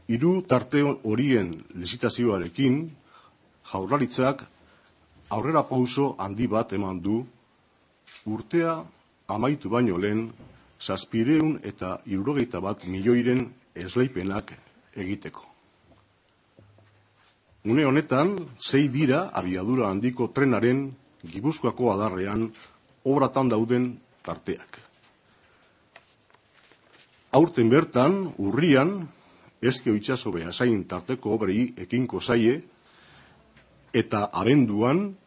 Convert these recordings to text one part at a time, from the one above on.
Hiru tarte horien lizitazioarekin, Jaurlaritzak aurrera pauso handi bat eman du urtea amaitu baino lehen 771 milioiren esleipenak egiteko. Une honetan, 6 dira abiadura handiko trenaren Gipuzkoako adarrean obratan dauden tarteak. Aurten bertan, urrian, Ezkio itsaso Beasain tarteko obrei ekinko zaie, eta abenduan,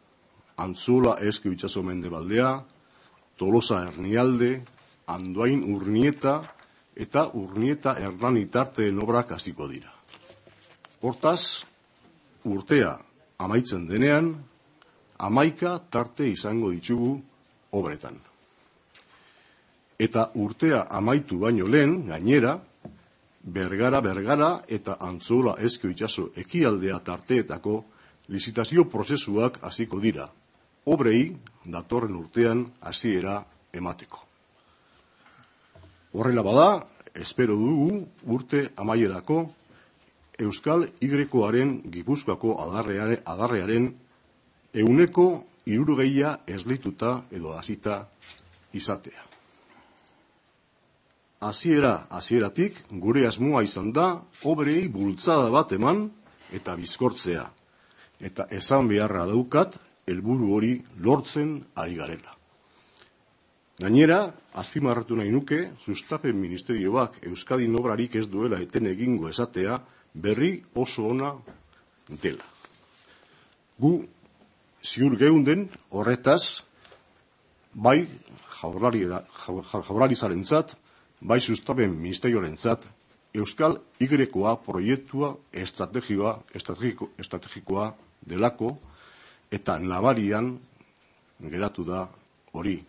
Antzola Ezkio itsaso Mendebaldea, Tolosa Ernialde, Andoain Urnieta eta Urnieta Hernani tarteen obrak hasiko dira. Hortaz, urtea amaitzen denean, 11 tarte izango ditugu obretan. Eta urtea amaitu baino lehen, gainera, Bergara eta Antzola Ezkio itsaso ekialdea tarteetako lizitazio prozesuak hasiko dira, obrei datorren urtean hasiera emateko. Horrela bada, espero dugu urte amaierako Euskal Y-aren Gipuzkoako adarrearen 60% esleituta edo hasita izatea. Hasieratik gure asmoa izan da obrei bultzada bat eman eta bizkortzea, eta esan beharra daukat helburu hori lortzen ari garela. Gainera, azpimarratu nahi nuke, sustapen ministerioak Euskadin obrarik ez duela eten egingo esatea berri oso ona dela. Gu ziur geunden horretaz, bai Jaurlaritzarentzat, bai sustapen ministerioarentzat, Euskal Y-koa proiektua estrategikoa delako, eta nabarian geratu da hori.